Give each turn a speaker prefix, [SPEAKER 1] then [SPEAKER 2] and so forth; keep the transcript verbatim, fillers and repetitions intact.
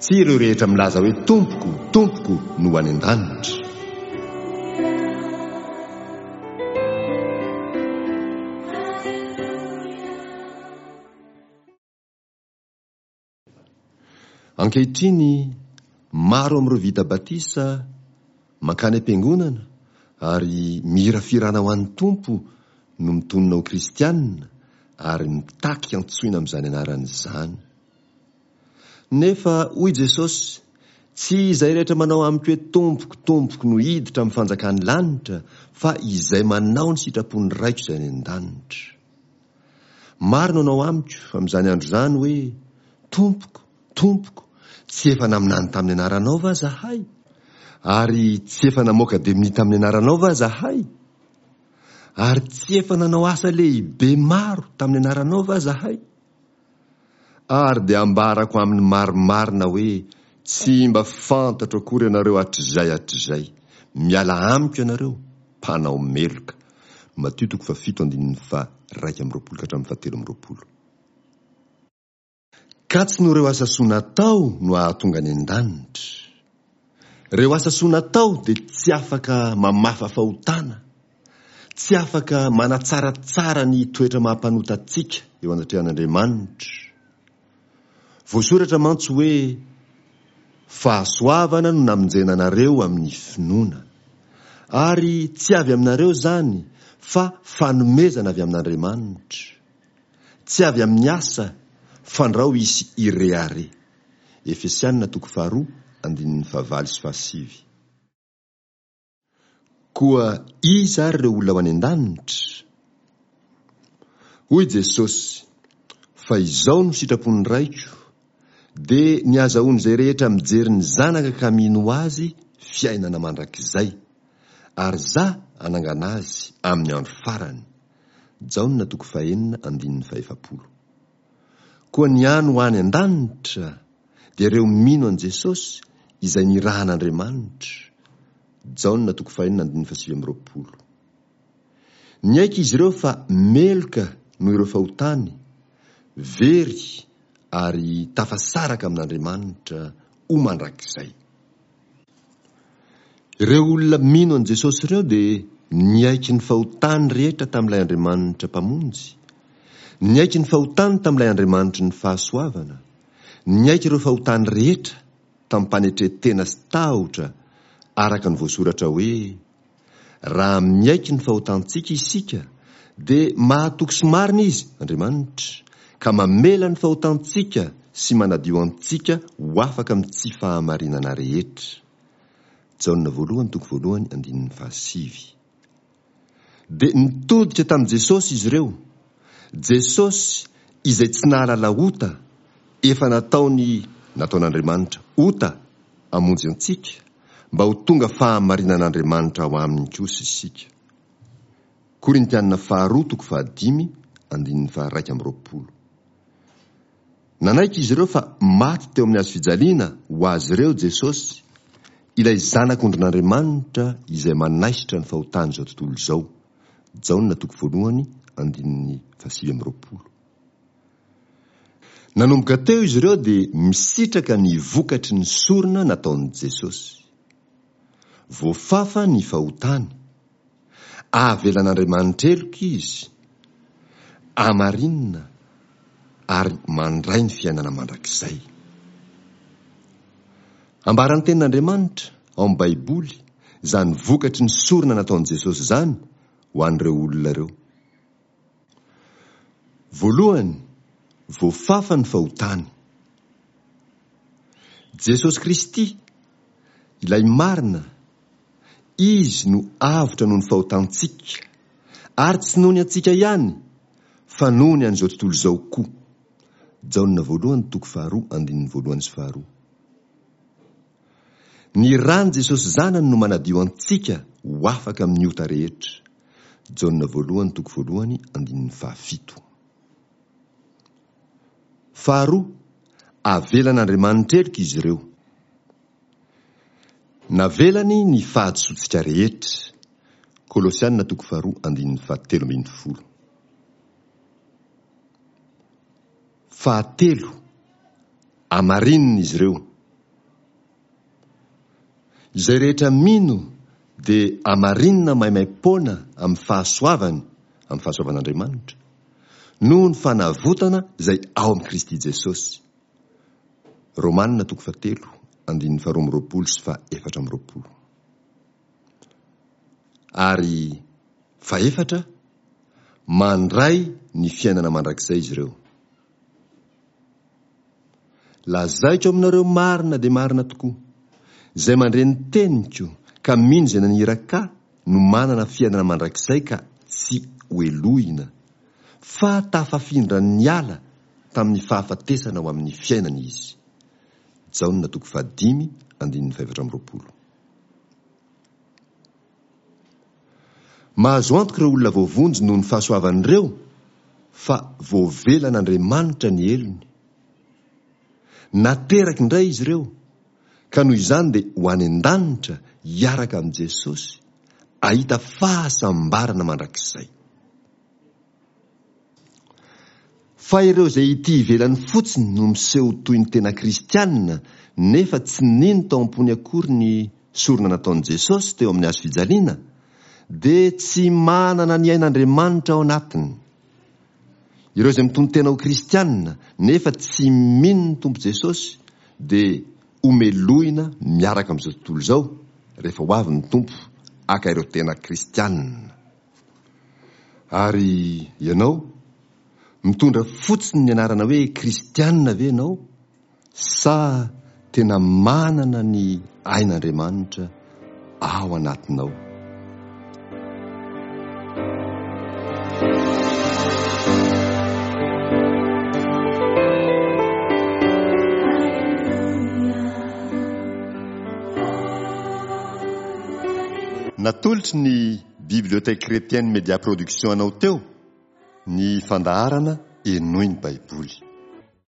[SPEAKER 1] Tsy ireo rehetra milaza hoe Tompoko, Tompoko no ho any an-danitra. Ankehitriny, maro amin'ireo vita batisa mankany am-piangonana ary mihira fihirana ho an'ny Tompo no mitonona ho kristianina ary mitaky antsoina amin'izany anarana izany. Nefa hoy Jesosy, tsy izay rehetra manao amiko hoe Tompoko, Tompoko no hiditra amin'ny fanjakan'ny lanitra, fa izay manao ny sitrapon'ny Raiko izay any an-danitra. Maro no hanao amiko amin'izany andro izany hoe, Tompoko, Tompoko, tsy efa naminany tamin'ny anaranao va zahay? Ary tsy efa namoaka demonia tamin'ny anaranao va zahay? Ary tsy efa nanao asa lehibe maro tamin'ny anaranao va zahay? Ary dia ambarako aminy marimarina hoe, tsy mba fantatro akory ianareo hatrizay hatrizay. Miala amiko ianareo, mpanao meloka. Matio toko fahafito andininy faha-iraika amby roapolo ka hatramin'ny fahatelo amby roapolo. Ka tsy noho ireo asa soa natao no hahatonga any an-danitra. Ireo asa soa natao dia tsy afaka mamafa fahotana, tsy afaka manatsaratsara ny toetra maha-mpanota antsika eo anatrehan'Andriamanitra. Voasoratra mantsy hoe, fahasoavana no namonjena anareo amin'ny finoana. Ary tsy avy aminareo izany, fa fanomezana avy amin'Andriamanitra. Tsy avy amin'ny asa, fandrao hisy irehareha. Efesianina toko faharoa, andininy fahavalo sy fahasivy. Koa iza ary ireo olona ho any an-danitra? Hoy Jesosy, fa izao no sitrapon'ny Raiko, dia ny azahoan'izay rehetra mijery ny Zanaka ka mino Azy fiainana mandrakizay, ary za hanangana azy amin'ny andro farany. Jaona toko fahenina andininy fahefapolo. Koa ny any ho any an-danitra dia ireo mino an'i Jesosy izay nirahan'Andriamanitra. Jaona toko fahenina andininy fahasivy amby roapolo. Niaiky izy ireo fa meloka noho ireo fahotany, very ary tafasaraka amin'Andriamanitra ho mandrakizay. Ireo olona mino an'i Jesosy ireo dia niaiky ny fahotany rehetra tamin'ilay Andriamanitra Mpamonjy, niaiky ny fahotany tamin'ilay Andriamanitry ny fahasoavana, niaiky ireo fahotany rehetra tamim-panetren-tena sy tahotra araka ny voasoratra hoe, raha miaiky ny fahotantsika isika dia mahatoky sy marina Izy, Andriamanitra, ka mamela ny fahotantsika sy manadio antsika ho afaka amin'ny tsy fahamarinana rehetra. Jaona voalohany toko voalohany andininy fahasivy. Dia nitodika tamin'i Jesosy izy ireo. Jesosy izay tsy nahalala ota, efa nataony nataon'Andriamanitra ota hamonjy antsika, mba ho tonga fahamarinan'Andriamanitra ao aminy kosa isika. Korintianina faharoa toko fahadimy andininy faharaika amby roapolo. Nanaiky izy ireo fa maty teo amin'ny hazo fijaliana ho azy ireo Jesosy, ilay zanak'ondrin'Andriamanitra izay manaisotra ny fahotan'izao tontolo izao. Jaona toko voalohany andininy fahasivy amby roapolo. Nanomboka teo izy ireo dia misitraka ny vokatry ny sorona nataon'i Jesosy. Voafafa ny fahotany. Avelan'Andriamanitra heloka izy, amarinina ary mandray ny fiainana mandrakizay. Ambaran'ny tenin'Andriamanitra ao amin'ny Baiboly izany vokatry ny sorona nataon'i Jesosy izany ho an'ireo olona ireo. Voalohany, voafafa ny fahotany. Jesosy Kristy, ilay marina, Izy no avotra noho ny fahotantsika, ary tsy noho ny antsika ihany, fa noho ny an'izao tontolo izao koa. Jaona voalohany toko faharoa andininy voalohany sy faharoa. Ny ran'i Jesosy Zanany no manadio antsika ho afaka amin'ny ota rehetra. Jaona voalohany toko voalohany andininy fahafito. Faharoa, avelan'Andriamanitra heloka izy ireo. Navelany ny fahadisoantsika rehetra. Kolosiana toko faharoa andininy fahatelo ambin'ny folo. Fahatelo, amarinina izy ireo. Izay rehetra mino dia amarinina maimaim-poana amin'ny fahasoavany, amin'ny fahasoavan'Andriamanitra, noho ny fanavotana izay ao amin'i Kristy Jesosy. Romanina toko fahatelo, andininy faharoa amby roapolo sy fahaefatra amby roapolo. Ary fahefatra, mandray ny fiainana mandrakizay izy ireo. Lazaiko aminareo marina dia marina tokoa, izay mandre ny teniko ka mino izay naniraka ahy no manana fiainana mandrakizay ka tsy hohelohina, fa tafafindra niala tamin'ny fahafatesana ho amin'ny fiainana izy. Jaona toko fahadimy andininy fahefatra amby roapolo. Mahazo antoka ireo olona voavonjy noho ny fahasoavany ireo fa voavelan'Andriamanitra ny helony. Nateraka indray izy ireo, ka noho izany dia ho any an-danitra hiaraka amin'i Jesosy, hahita fahasambarana mandrakizay. Fa ireo izay ity ivelany fotsiny no miseho toy ny tena kristiana nefa tsy nino tao am-pony akory ny sorona nataon'i Jesosy teo amin'ny hazo fijaliana dia tsy manana ny ain'Andriamanitra ao anatiny. Ireo izay mitonon-tena ho kristiana nefa tsy mino ny Tompo Jesosy dia homelohina miaraka amin'izao tontolo izao rehefa ho avy ny Tompo haka ireo tena kristiana. Ary ianao? Mitondra fotsiny ny anarana hoe kristiana ve ianao sa tena manana ny ain'Andriamanitra ao anatinao? Natolotry ny Bibliothèque Chrétienne Média Production anao teo ny fandaharana Henoy ny Baiboly.